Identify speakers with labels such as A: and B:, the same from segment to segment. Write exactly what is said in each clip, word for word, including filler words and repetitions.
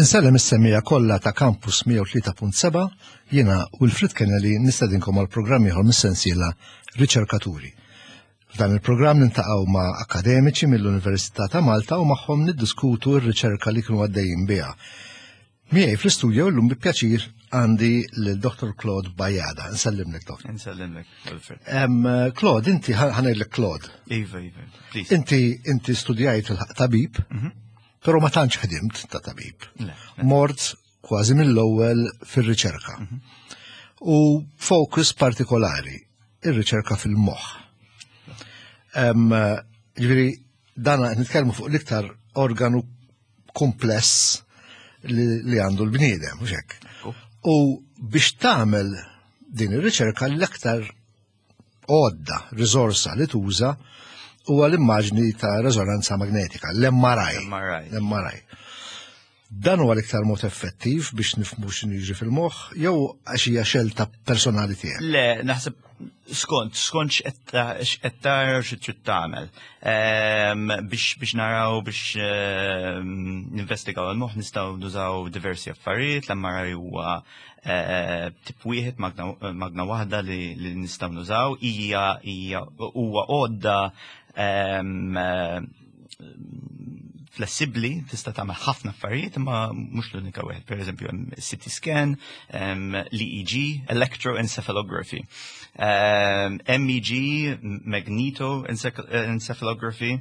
A: Insellem is-semmiegħa kollha ta' Campus mija u tlieta punt seba', jiena Wilfred Kennedy nistedinkom għal programm ieħor mis-sensiela Riċerkaturi. F'dan il-programm niltaqgħu ma' akademiċi mill-Università ta' Malta u magħhom niddiskutu r-riċerka li kienu għaddejjin biha. Miegħi fl-istudio llum bi pjaċir għandi lil Dottor Claude Bajada. Nsellimlek, Dottor.
B: Nsellimlek, Wilfred.
A: Em, Claude, inti ħa ngħidlek Claude.
B: Iva, Iva, please.
A: Inti inti studjajt il-tabib, però ma tantx ħdimt ta' tabib.
B: Le.
A: Mort kważi mill-ewwel fir-riċerka. U focus partikolari, ir-riċerka fil-moħħ. Em, Ġifieri, dana qed nitkellmu fuq l-iktar organu kompless li, li għandu l-bniedem, mhux hekk? U biex tagħmel din ir-riċerka, l-aktar għodda, riżorsa li tuża huwa l-immaġni ta' rezonanza magnetika, l-M R I.
B: M R I.
A: L-M R I. Dan huwa l-iktar mod effettiv biex nifhmu x'inhu jiġri fil-moħħ, jew għax hija xelta personali tiegħek?
B: Le, naħseb skont, skont x'qed tara, xi trid tagħmel. Ehm, Biex biex naraw, biex ehm, ninvestigaw il-moħħ nistgħu nużaw diversi affarijiet. L-M R I huwa eh, tip wieħed, magna magna waħda li li nistgħu nużaw, hija hija huwa għodda ehm, eh, flessibli, tista' tagħmel ħafna affarijiet, imma mhux l-unika wieħed. Per eżempju, hemm C T scan, hemm l-E E G, electroencephalography, um, M E G, magnetoencephalography,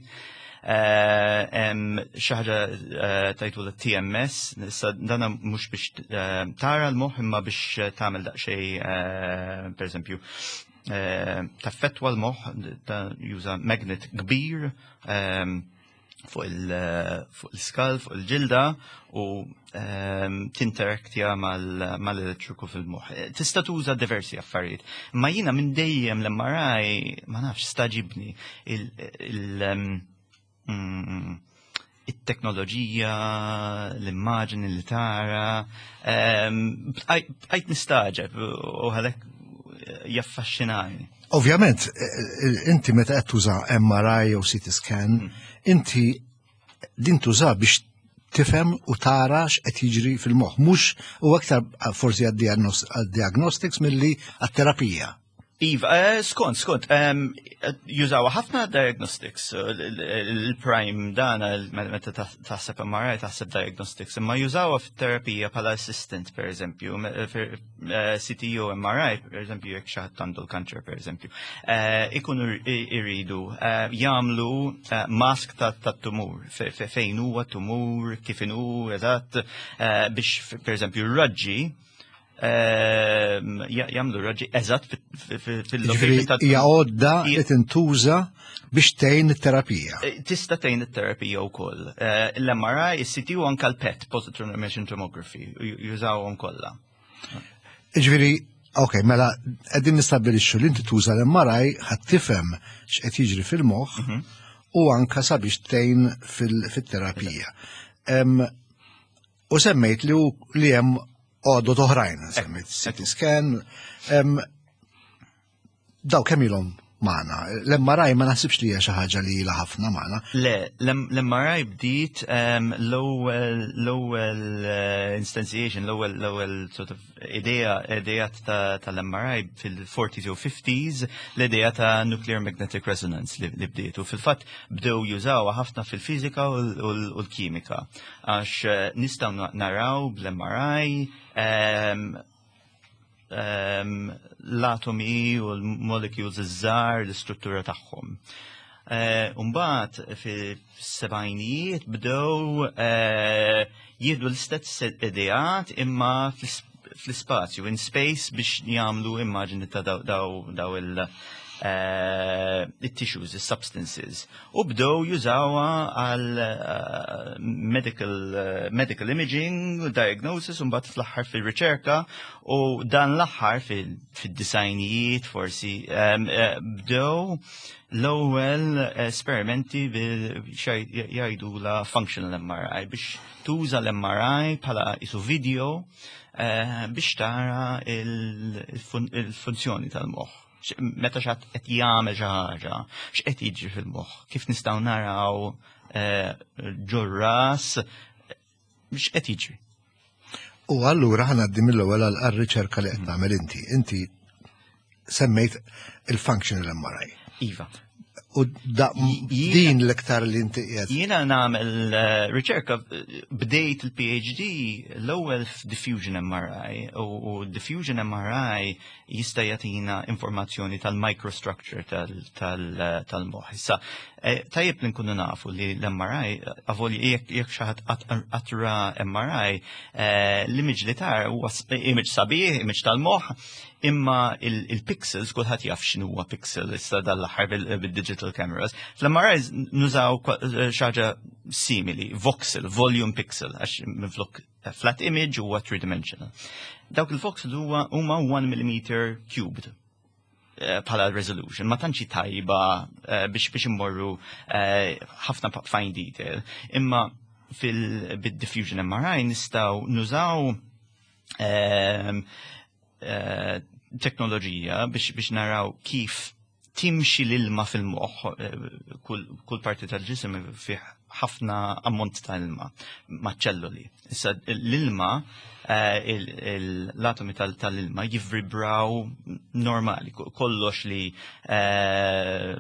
B: hemm xi ħaġa eh, tajtu l-T M S, issa dana mhux biex eh, tara l-moħħ imma biex tagħmel daqsxejn, eh, per eżempju, eh, taffettwa l-moħħ, ta' juża magnet kbir ehm, fuq il- fuq il-skull, fuq il-ġilda u ehm, tinteraktja mal- mal-elettriku fil-moħħ. Tista' tuża diversi affarijiet. Ma jiena minn dejjem l-M R I, ma nafx, stagħġibni il- il- ehm, mm, it-teknoloġija, l-immaġni li tara, ehm, bqajt nistagħġeb u għalhekk jaffaxxinani.
A: Ovvjament, eh, eh, inti meta qed tuża M R I jew C T scan, inti din tuża biex tifhem u tara x'qed jiġri fil-moħħ, mhux u aktar forsi għad-diagnostics milli għat-terapija.
B: Iva, eh, skont, skont, um, jużaw ħafna diagnostics, il-prime dana, meta taħseb M R I, taħseb diagnostics, imma jużawha fit-terapija bħala assistant, per eżempju, C T u M R I, per eżempju, jekk xi ħadd għandu l-kanċer, per eżempju, ikunu iridu jagħmlu mask ta' tumur, fejn huwa tumur, kif inhu, eżatt, biex, per eżempju, raġġi jagħmlu raġġi eżatt
A: fil-location. Hija għodda li tintuża biex tgħin it-terapija.
B: Tista' tgħin it-terapija wkoll. L-M R I, is-C T u anke l-PET, positron emission tomography, jużawhom kollha.
A: Ġifieri, ok, mela qegħdin nistabbilixxu li inti tuża l-M R I ħa tifhem x'qed jiġri fil-moħħ u anka sabiex tgħin fil-terapija. U semmejt li li hemm għodod oħrajn, semmejt C T scan, daw kemm ilhom magħna? L-M R I ma naħsibx li hija xi ħaġa li ilha ħafna magħna.
B: Le, l-M R I bdiet l-ewwel l-ewwel eh, instantiation, l-ewwel l-ewwel sort of idea idea tal-M R I fil-forties u fifties, l-idea ta' nuclear magnetic resonance li bdiet. U fil-fatt bdew jużawha ħafna fil-fiżika u l-kimika. Għax eh, nistgħu naraw bl-M R I l-atomi u l-molecules iż-żgħar, l-istruttura tagħhom. Umbagħad fis-sebgħinijiet bdew eh, jieħdu l-istess ideat imma fl-ispazju, in space, biex jagħmlu immaġni ta' daw il- eh, tissues, substances. U bdew jużawha għal eh, medical, medical imaging, diagnosis, u mbagħad fl-aħħar fil-riċerka, u dan l-aħħar fil-disgħinijiet forsi bdew l-ewwel esperimenti jgħidu la functional M R I, biex tuża l-M R I bħala isu video eh, biex tara il-funzjoni tal-moħħ. Meta xi ħadd qed jagħmel xi ħaġa, x'qed jiġri fil-moħħ, kif nistgħu naraw eh, ġor-ras x'qed jiġri.
A: U allura ħa ngħaddi mill-ewwel għal-riċerka li qed tagħmel inti. Inti semmejt il-functional M R I.
B: Iva.
A: U din l-iktar li inti qiegħed.
B: Jiena nagħmel eh, riċerka, bdejt il-P H D l-ewwel f'diffusion M R I u diffusion M R I jista' jagħtina informazzjoni tal-microstructure tal-moħħ. Issa, eh, tajjeb li nkunu nafu li l-M R I, avolja jekk xi ħadd qatt ra M R I, eh, l-image li tara huwa image sabiħ, image tal-moħħ, imma il-pixels, kulħadd jaf x'inhu huwa pixel issa dal-aħħar bil-digital cameras. Fl-M R Is nużaw eh, xi ħaġa simili, voxel, volume pixel, għax minflok flat image huwa three-dimensional. Dawk il-voxel huwa huma one millimeter cubed eh, bħala resolution, ma tantx tajba eh, biex biex immorru ħafna fine detail. Imma fil-diffusion M R I nistgħu nużaw ehm, teknoloġija biex biex naraw kif timxi l-ilma fil-moħħ, eh, kull, kull parti tal-ġisem fih ħafna ammont ta' ilma ma' ċelluli. Issa l-ilma, eh, l-atomi tal-ilma jivvibraw normali, kollox li eh,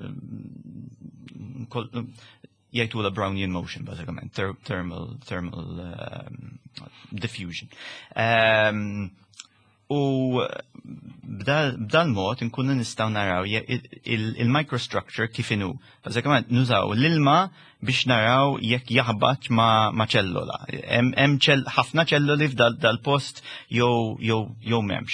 B: jgħidu la Brownian motion, bażikament, thermal, thermal um, diffusion. Um, U b'dal mod nkunu nistgħu naraw il-microstructure kif inhu. Bażikament nużaw l-ilma biex naraw jekk jaħbat ma' ċellola. Hemm ħafna ċelloli f'dal post jew jew jew m'hemmx.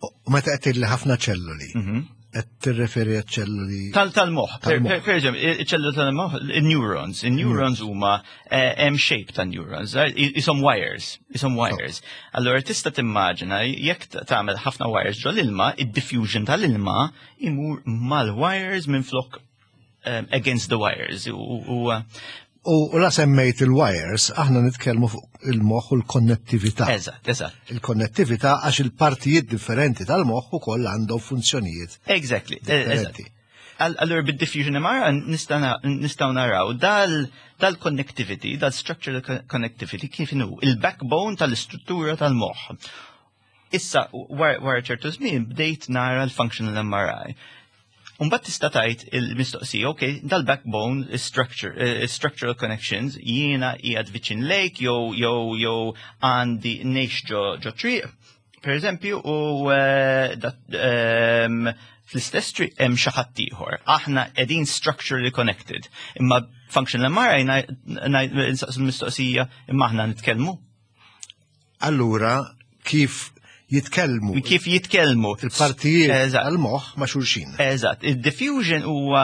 A: U meta qed li ħafna ċelloli, mhm. qed tirreferi ċelloli
B: Tal-moħħ. Per eżempju, ċelloli tal-moħħ, il-neurons. Il-neurons huma eh, hemm shape ta' neurons, eh, isom wires, isom wires. Allora tista' timmaġina jekk tagħmel ħafna wires ġo l-ilma, id-diffusion tal-ilma imur mal-wires minn flok eh, against the wires.
A: U U la semmejt il-wires, aħna nitkellmu fuq il-moħħ u l-konnettività.
B: Eżatt, eżatt.
A: Il-konnettività għax il-partijiet differenti tal-moħħ ukoll għandhom funzjonijiet.
B: Exactly. Eżatt. Allura bid-diffusion M R I nistgħu naraw dal-connectivity, dal-structural connectivity kif inhu, il-backbone tal-istruttura tal-moħħ. Issa, wara ċertu żmien bdejt nara l-functional M R I. Umbagħad tista' tgħid il-mistoqsija, ok, dal-backbone structure, uh, structural connections, jiena qiegħed viċin lake jew jew jew għandi ngħix ġo ġo triq, per eżempju, u uh, um, fl-istess triq hemm xi ħadd ieħor. Aħna qegħdin structurally connected. Imma functional M R I nsaqsu l-mistoqsija, imma aħna nitkellmu?
A: Allura, kif jitkellmu?
B: Kif jitkellmu?
A: Il-partijiet għal-moħħ ma' xulxin.
B: Eżatt. Il-diffusion huwa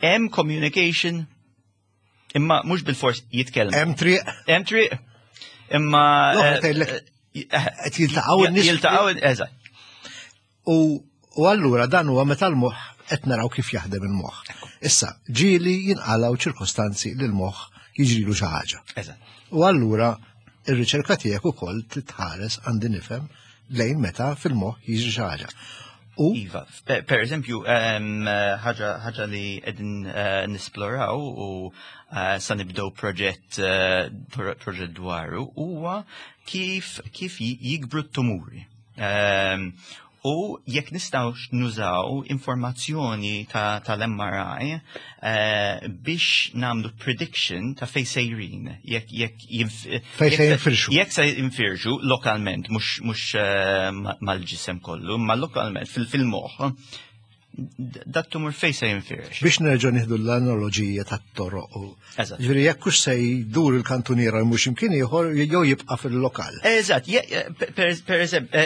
B: hemm communication imma mhux bil-fors jitkellmu.
A: Hemm triq.
B: Hemm triq. Imma
A: eh, qed jiltaqgħu
B: n-nies. Jiltaqgħu, eżatt.
A: U u allura dan huwa meta l-moħħ qed naraw kif jaħdem il-moħħ. Issa, ġieli jinqalgħu ċirkostanzi li l-moħħ jiġrilu xi ħaġa.
B: Eżatt.
A: U allura ir-riċerka tiegħek ukoll titħares, għandi nifhem, lejn meta fil-moħħ jiġri xi ħaġa.
B: U Iva, per eżempju, ħaġa li qegħdin eh, nisploraw u eh, sa nibdew proġett eh, proġett dwaru huwa kif kif jikbru t-tumuri. U jekk nistgħu nużaw informazzjoni tal-M R I eh, biex nagħmlu prediction ta' fej sejrin. Jekk jekk
A: Fej se jinfirxu.
B: Jekk se jinfirxu lokalment, mhux eh, mal-ġisem kollu, ma lokalment fil-moħħ dat tumur fej se jinfirex.
A: Biex nerġgħu nieħdu l-analogija tat-toroq. Ġifieri jekk hux se jdur il-kantuniera mhux imkien ieħor jew jibqa' fil-lokal.
B: Eżatt, per eżempju,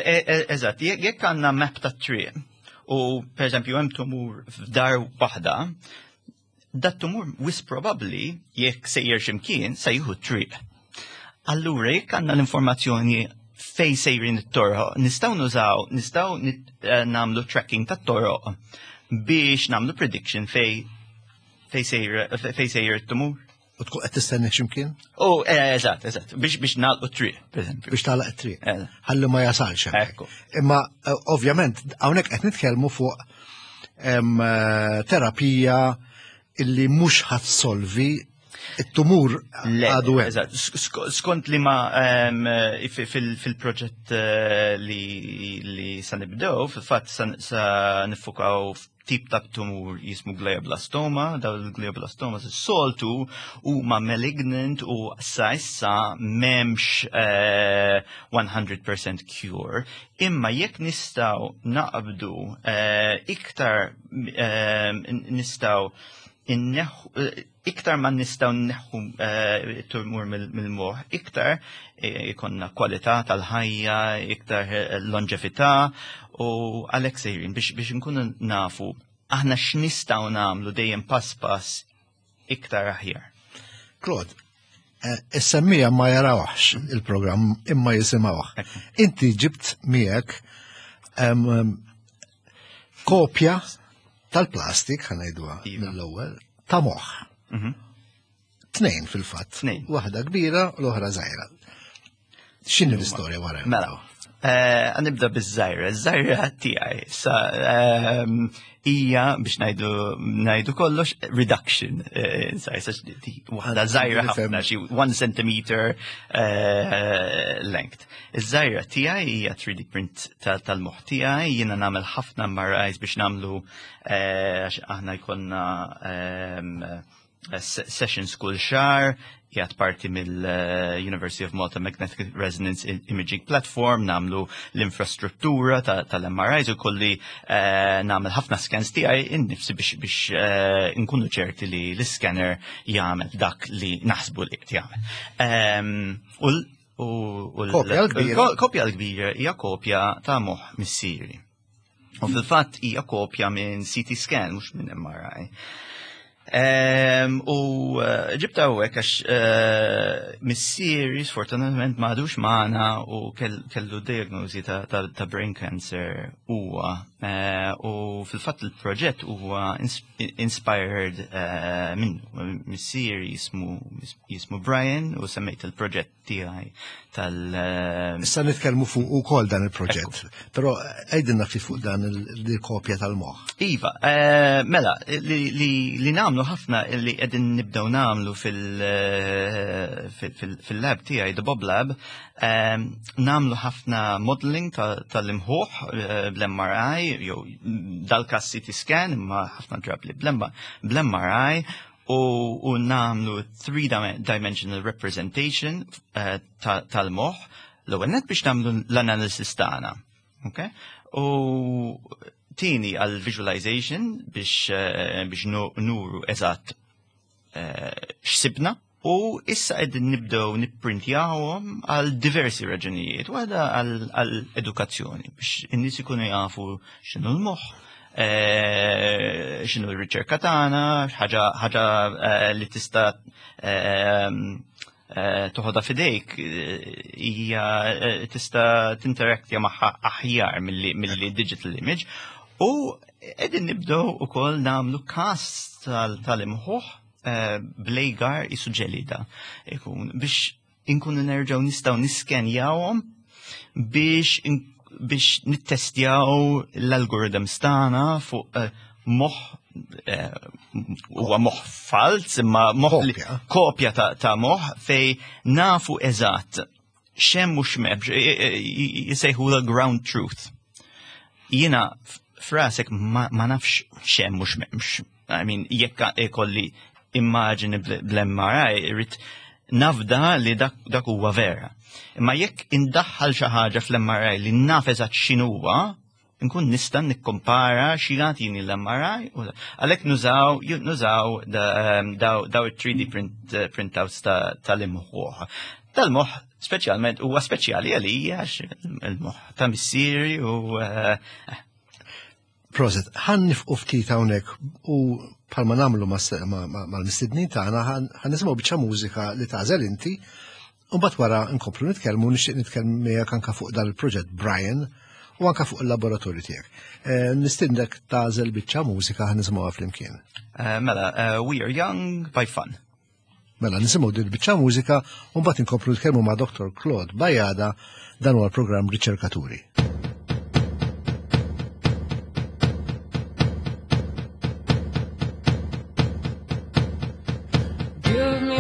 B: eżatt, jekk għandna map ta' triq u per eżempju hemm tumur f'dar waħda, dat tumur wisq probabbli jekk sejjer x'imkien se jieħu triq. Allura jekk għandna l-informazzjoni fej sejrin it-toroq, nistgħu nużaw, nistgħu eh, nagħmlu tracking tat-toroq biex nagħmlu prediction fej fej sejjer it-tumur.
A: U tkun qed tistenni x'imkien?
B: Oh, eh, eżatt, eżatt, biex biex nagħlqu t-triq, per eżempju.
A: Biex tagħlaq it-triq. Ħalli ma jasalx.
B: Ekku.
A: Imma eh, ovvjament hawnhekk qed nitkellmu fuq terapija illi mhux ħa ssolvi It-tumur għadu hemm.
B: Skont li ma fil-proġett li sa nibdew, fil-fatt sa nifukaw tip ta' tumur jismu glioblastoma, daw il-glioblastoma s-soltu huma malignant u sa issa m'hemmx one hundred percent cure. Imma jekk nistgħu naqbdu iktar nistgħu iktar ma nistgħu nneħħu tumur mill-moħ, iktar ikollna kwalità tal-ħajja, iktar longevità u għalhekk sejrin biex biex nkunu nafu aħna x'nistgħu nagħmlu dejjem pass pass iktar aħjar.
A: Claude, is-semmiegħa ma jarawx il-programm imma jisimgħuh. Inti ġibt miegħek kopja tal-plastik, ħa ngħiduha mill-ewwel, ta' moħħ. Tnejn fil-fatt. Waħda kbira u l-oħra żgħira. X'inhi l-istorja wara?
B: Mela, nibda biż-żgħira. Iż-żgħira tiegħi sa hija biex ngħidu ngħidu kollox reduction. Waħda żgħira ħafna, xi one centimeter length. Iż-żgħira tiegħi hija three D print tal-moħħ tiegħi, jiena nagħmel ħafna M R Is biex nagħmlu għax aħna jkollna sessions kull xahar, jgħat parti mill-University of Malta Magnetic Resonance Imaging Platform, nagħmlu l-infrastruttura tal-M R Is u kolli nagħmel ħafna scans tiegħi innifsi biex biex nkunu ċerti li l-scanner jagħmel dak li naħsbu li qed jagħmel. U l-kopja l-kbira hija kopja ta' moħħ missieri. U fil-fatt hija kopja minn C T scan, mhux minn M R I. U ġibta hawnhekk għax missieri sfortunatament m'għadux magħna u kellu diagnosi ta' brain cancer huwa. U fil-fatt il-proġett huwa inspired minnu. Missieri jismu jismu Brian u semmejt il-proġett tiegħi tal-
A: Issa nitkellmu fuq ukoll dan il-proġett, però għidilna ftit fuq dan il-kopja tal-moħħ.
B: Iva, mela, li nagħmlu ħafna li qegħdin nibdew nagħmlu fil-lab tiegħi, the Bob Lab, nagħmlu ħafna modeling tal-imħuħ bl-M R I, jew dal-kas C T scan, imma ħafna drabi bl-M R I, u nagħmlu three-dimensional representation tal-moħ, l-ewwel net biex nagħmlu l-analysis tagħna. Okay? U tieni għal visualization biex biex nuru eżatt x'sibna. U issa qegħdin nibdew nipprintjawhom għal diversi raġunijiet. Waħda għal edukazzjoni biex in-nies ikunu jafu x'inhu l-moħħ, x'inhu r-riċerka tagħna, ħaġa ħaġa li tista' toħodha f'idejk hija tista' tinteraktja magħha aħjar milli digital image. U qegħdin nibdew ukoll nagħmlu cast tal-imħuħ bl-agar isu ġelida ikun biex inkunu nerġgħu nistgħu niskenjawhom biex biex nittestjaw l-algorithms tagħna fuq moħħ, huwa moħħ falz imma moħħ kopja ta' moħħ fej nafu eżatt x'hemm u x'm'hemmx, jisejħu ground truth. Jiena frasek ma nafx x'hemm u x'm'hemmx. I mean, jekk ikolli immaġini bl-M R I, irrid nafda li dak huwa vera. Imma jekk indaħħal xi ħaġa fl-M R I li naf eżatt x'inhuwa, nkun nista' nikkompara xi jagħtini l-M R I. Għalhekk nużaw nużaw daw it-three D print printouts tal-imħuħ. Tal-moħħ speċjalment huwa speċjali għalija għax il-moħħ ta' missieri u
A: Prosit, ħa nieqfu ftit hawnhekk u bħalma nagħmlu mal-mistednin tagħna ħa nisimgħu biċċa mużika li tagħżel inti u mbagħad wara nkomplu nitkellmu, nixtieq nitkellem miegħek anke fuq dan il-proġett Brian u anke fuq il-laboratorju tiegħek. Nistiednek tagħżel biċċa mużika ħa nisimgħuha flimkien.
B: Mela, We Are Young by Fun.
A: Mela, nisimgħu din biċċa mużika u mbagħad inkomplu nitkellmu ma' Doctor Claude Bajada. Dan huwa l-programm Riċerkaturi.
C: Give me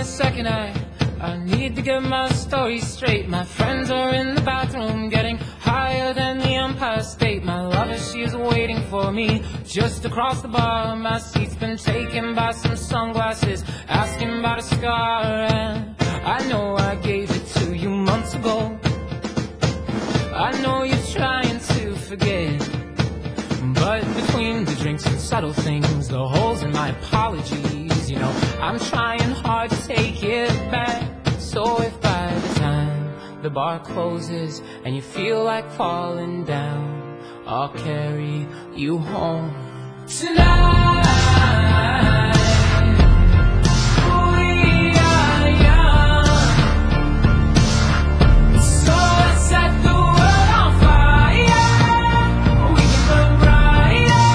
C: get my story straight. My friends are in the bathroom getting higher than the Empire State. My lover, she's waiting for me just across the bar. My seat's been taken by some sunglasses, asking about a scar. And I know I gave it to you months ago. I know you're trying to forget. But between the drinks and subtle things, the holes in my apologies, you know, I'm trying hard to take it back. So if by the time the bar closes and you feel like falling down, I'll carry you home tonight. We are young, so let's set the world on fire. We can burn brighter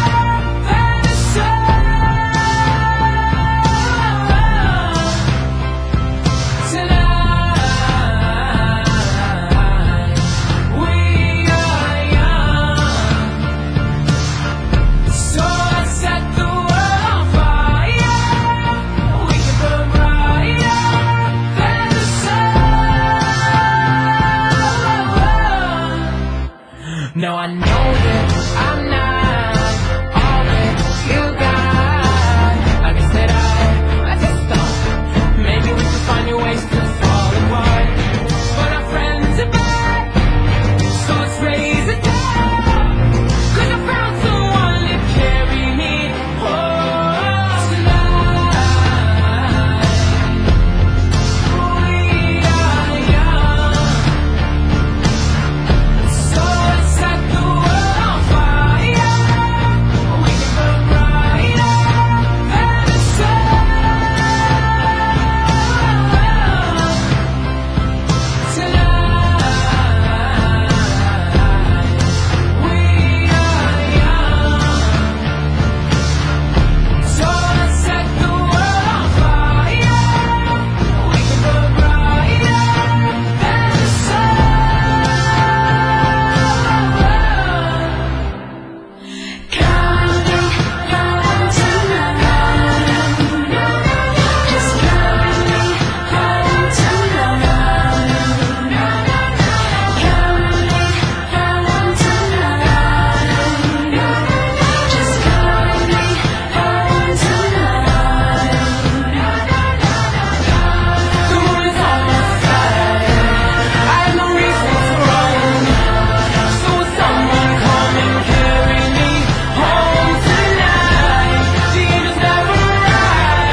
C: than the sun. Tonight, we are young, so let's set the world on fire. We can burn brighter than the sun. Now I know that I'm not all that you got. I guess that I, I just thought maybe we could find new ways to fall apart. But our friends are back, so let's raise it down. 'Cause I found someone to carry me home tonight. We are young, so let's set the world on fire. We can burn brighter than the sun. Tonight, we are young, so let's set the world on fire. We can burn brighter than the sun.
D: Carry me home tonight. Just carry me home tonight. Carry me home tonight. Just carry me home tonight.
C: The moon is on my side. I have no reason to run. So will someone come and carry me home tonight? The angels never arrive,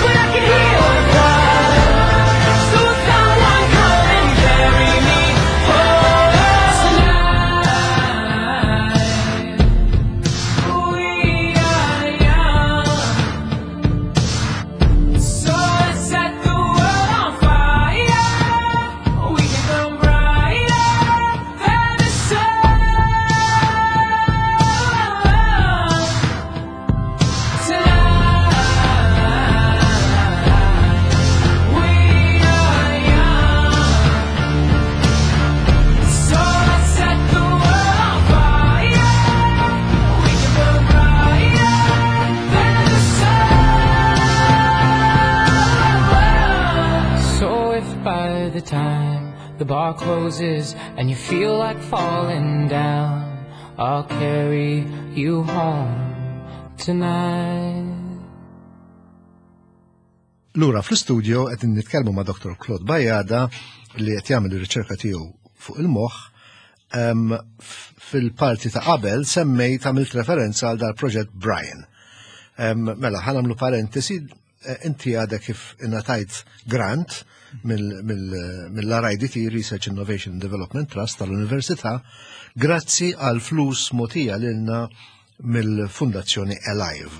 C: but I can hear the cry. So will someone come and carry me home tonight? We are young. So let's set the world on fire. We can burn brighter than the sun. Tonight, we are young. So let's set the world on fire. We can burn brighter than the sun. So if by the time the bar closes and you feel like falling down, I'll carry you home tonight.
A: Lura fl-studio qed nitkellmu ma' Doctor Claude Bajada li qed jagħmel ir-riċerka tiegħu fuq il-moħħ. Em, f- Fil-parti ta' qabel semmejt, għamilt referenza għal dal-proġett Brian. Em, Mela, ħa nagħmlu parentesi, eh, inti għadek kif ingħatajt grant mill-R I D T, Research Innovation and Development Trust tal-Università, grazzi għal flus mogħtija lilna mill-Fundazzjoni Alive.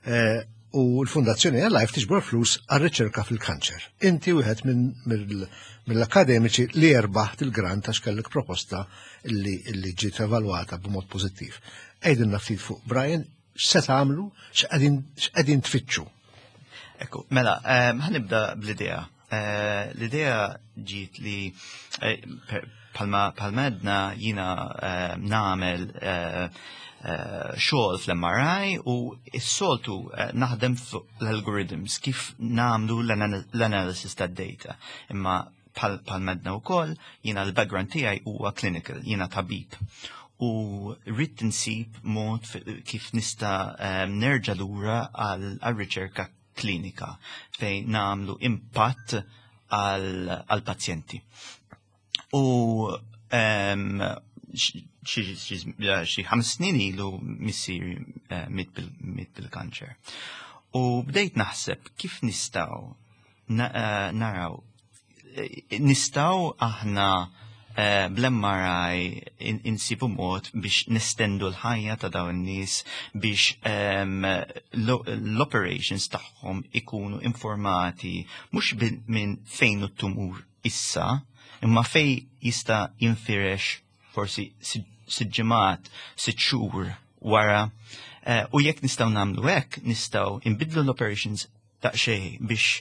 A: Eh, U l-Fundazzjoni Alive tiġbor flus għal riċerka fil-kanċer. Inti wieħed minn mill- mill-akademiċi li rbaħt il-grant għax kellek proposta illi, illi ġiet evalwata b'mod pożittiv. Għidilna ftit fuq Brian, x'se tagħmlu, x'qegħdin x'qegħdin tfittxu.
B: Ekku, mela, em, ħa nibda bl-idea. Eh, L-idea ġiet li eh, per- bħalma bħalma għedna jiena eh, nagħmel eh, eh, xogħol fl-M R I u s-soltu eh, naħdem fuq l-algorithms kif nagħmlu l-analysis tad-data. Imma bħalma għedna wkoll, jiena l-background tiegħi huwa clinical, jiena tabib. U rrid insib mod fi- kif nista' eh, nerġa' lura għal riċerka klinika fejn nagħmlu impatt għal pazjenti. U em, xi xi ħames snin ilu missieri eh, miet bil- miet bil-kanċer. U bdejt naħseb kif nistgħu na- eh, naraw eh, nistgħu aħna eh, bl-M R I in- insibu mod biex nestendu l-ħajja ta' dawn in-nies biex em, lo- l-operations tagħhom ikunu informati mhux bil- minn fejn it-tumur issa, imma fej jista' jinfirex forsi sitt ġimgħat, sitt xhur wara. Eh, U jekk nistgħu nagħmlu hekk, nistgħu nbidlu l-operations daqsxejn biex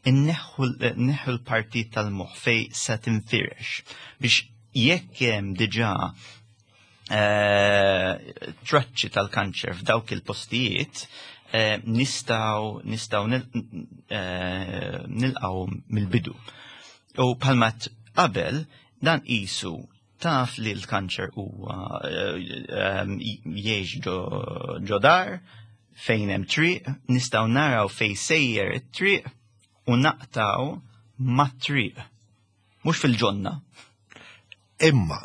B: inneħħu neħħu l-parti tal-moħħ fej se tinfirex biex jekk hemm diġà eh, traċċi tal-kanċer f'dawk il-postijiet, eh, nistgħu nistgħu nil- eh, nilqgħu mill-bidu. U bħalma għedt qabel dan qisu taf li l-kanċer huwa eh, em, jgħix ġo ġo dar fejn hemm triq, nistgħu naraw fejn sejjer it-triq u naqtgħu mat-triq. Mhux fil-ġonna.
A: Imma,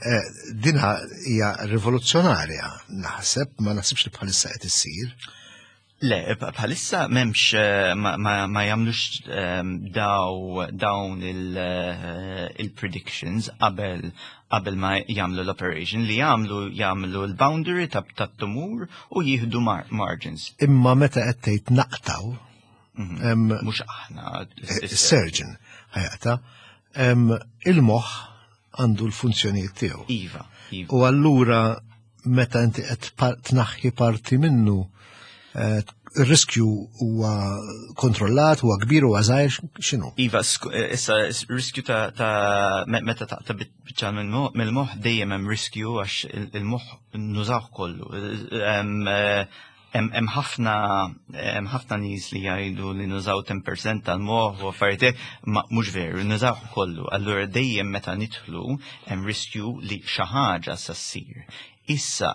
A: eh, dinha hija rivoluzzjonarja, naħseb, ma naħsibx li bħalissa qed issir.
B: Le, bħalissa m'hemmx eh, ma, ma, ma jagħmlux ehm, daw dawn il, eh, il-predictions qabel qabel ma jagħmlu l-operation. Li jagħmlu, jagħmlu l-boundary ta' tat-tumur u jieħdu mar margins.
A: Imma meta qed tgħid naqtgħu, em,
B: Mhux aħna.
A: Is-surgeon ħa jaqta', em, il-moħħ għandu l-funzjonijiet tiegħu.
B: Iva, iva.
A: U allura meta inti qed par- tnaħħi parti minnu, eh, ir-riskju huwa kontrollat, huwa kbir, huwa żgħir, x'inhu?
B: Iva, sk- eh, issa s- riskju ta', ta me- meta taqta' biċċa mill-moħħ dejjem hemm riskju għax il- il-moħħ nużawh kollu. Hemm eh, hemm hemm ħafna hemm ħafna nies li jgħidu li nużaw għaxra fil-mija tal-moħħ u affarijiet hekk, ma mhux veru, nużawh kollu. Allura dejjem meta nidħlu hemm riskju li xi ħaġa sa ssir. Issa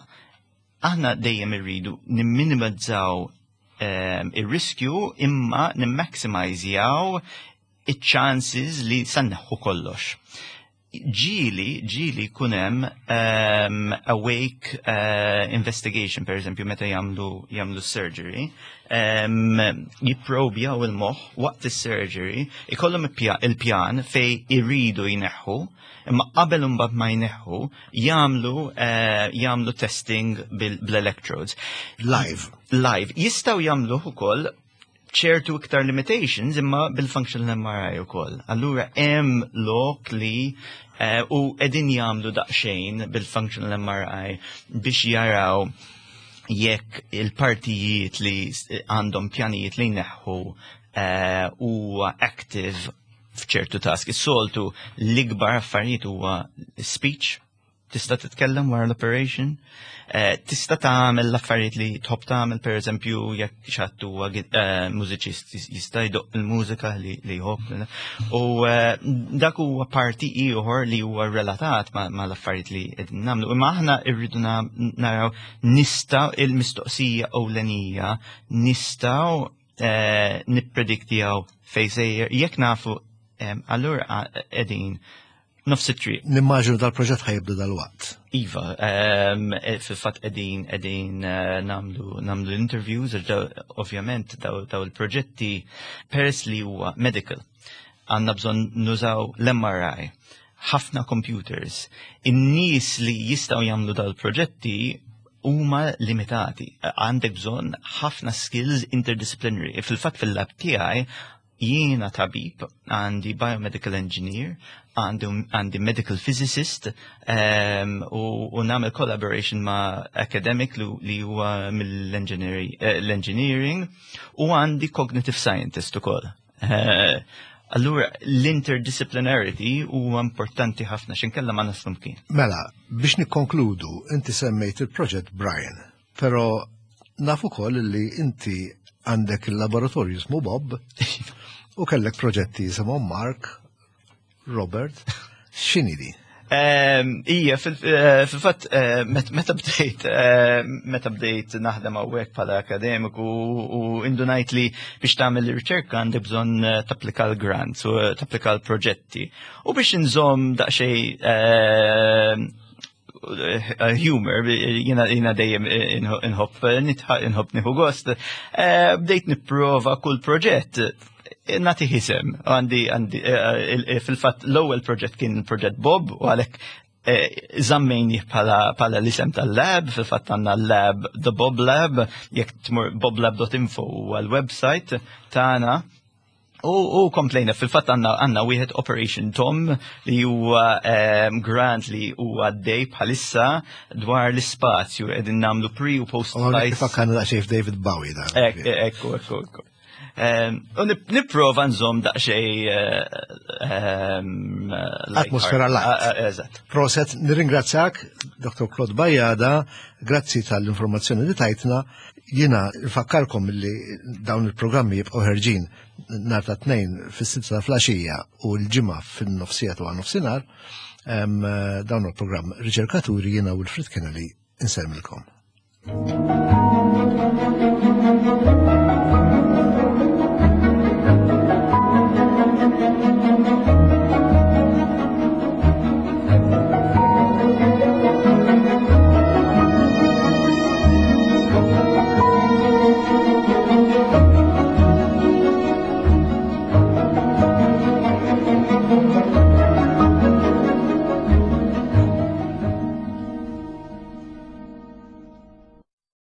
B: aħna dejjem irridu nimminimizzaw um, ir-riskju imma nimmaximizjaw iċ-chances li sa nneħħu kollox. Ġieli, ġieli jkun hemm um, awake uh, investigation, per eżempju, meta jagħmlu jagħmlu surgery, um, jipprobjaw il-moħħ waqt is-surgery, ikollhom il-pja- il-pjan fej iridu jneħħu, imma qabel imbagħad ma jneħħu, jagħmlu uh, jagħmlu testing bil- bl-electrodes.
A: Live.
B: Live. Jistgħu jagħmluh ukoll ċertu iktar limitations imma bil-functional M R I ukoll. Allura hemm lok li eh, u qegħdin jagħmlu daqsxejn bil-functional M R I biex jaraw jekk il-partijiet li s- għandhom pjanijiet li jneħħu eh, huwa active f'ċertu task. Is-soltu l-ikbar affarijiet huwa speech, tista' titkellem wara l-operation, eh, tista' tagħmel l-affarijiet li tħobb tagħmel, pereżempju jekk xi ħadd huwa eh, mużiċist jista' jdoqq il-mużika li li jħobb. U eh, dak huwa parti ieħor li huwa relatat ma' ma' l-affarijiet li qegħdin nagħmlu. Imma aħna rridu na- naraw nistgħu, il-mistoqsija ewlenija, nistgħu eh, nipprediktjaw fejn sejjer. Jekk nafu, em, allura qegħdin nofs it-triq.
A: Nimmaġinu dal-proġett ħa jibda dal-waqt.
B: Iva, um, fil-fatt qegħdin qegħdin uh, nagħmlu nagħmlu interviews, għax daw- ovvjament daw, daw il-proġetti, peress li huwa medical, għandna bżonn nużaw l-M R I, ħafna computers. In-nies li jistgħu jagħmlu daw il-proġetti huma limitati. Għandek bżonn ħafna skills interdisciplinary. Fil-fatt fil-lab tiegħi jiena tabib, għandi biomedical engineer, għandi, għandi medical physicist, um, u, u nagħmel collaboration ma' academic li, li huwa mill-engineering eh, l-engineering u għandi cognitive scientist ukoll. Uh, Allura l-interdisciplinarity huwa importanti ħafna x'inkella ma naslu mkien.
A: Mela, biex nikkonkludu, inti semmejt il-proġett Brian, pero naf ukoll li inti għandek il-laboratorju jismu Bob u kellek proġetti jisimhom Mark, Robert, x'inhi di?
B: Ehm, Ija, eh, fil-fatt, eh, meta bdejt, eh, meta bdejt naħdem hawnhekk bħala akademiku u indunajt li biex tagħmel riċerka għandek bżonn tapplika l-grants u tapplika l-proġetti. U biex nżomm daqsxejn humor, jiena jiena dejjem inħobb inħobb nieħu gost, bdejt nipprova kull proġett nagħtih isem, għandi, għandi, eh, fil-fatt l-ewwel proġett kien proġett Bob u għalhekk eh, żammejnieh bħala l-isem tal-lab, fil-fatt għandna l-lab, The Bob Lab, jekk tmur boblab dot info huwa l-website tagħna. U, u komplejna, fil-fatt għandna għandna wieħed Operation Tom li huwa um, grant li huwa għaddej bħalissa dwar l-ispazju, qegħdin nagħmlu pre u post.
A: U għalhekk fakkarna daqsxejn f'David Bowie da.
B: Ekku, ekku, ekku. U nipprova nżomm daqsxejn
A: atmosfera light.
B: Eżatt.
A: Prosit, nirringrazzjak, Doktor Claude Bajada, grazzi tal-informazzjoni li tajtna. Jiena nfakkarkom li dawn il-programmi jibqgħu ħerġin nhar ta' Tnejn fis-sitta ta' filgħaxija u l-Ġimgħa fin-nofsija ta' nofsinhar. Dawn il-programm Riċerkaturi, jiena Wilfred Kennedy insellmilkom. Thank you.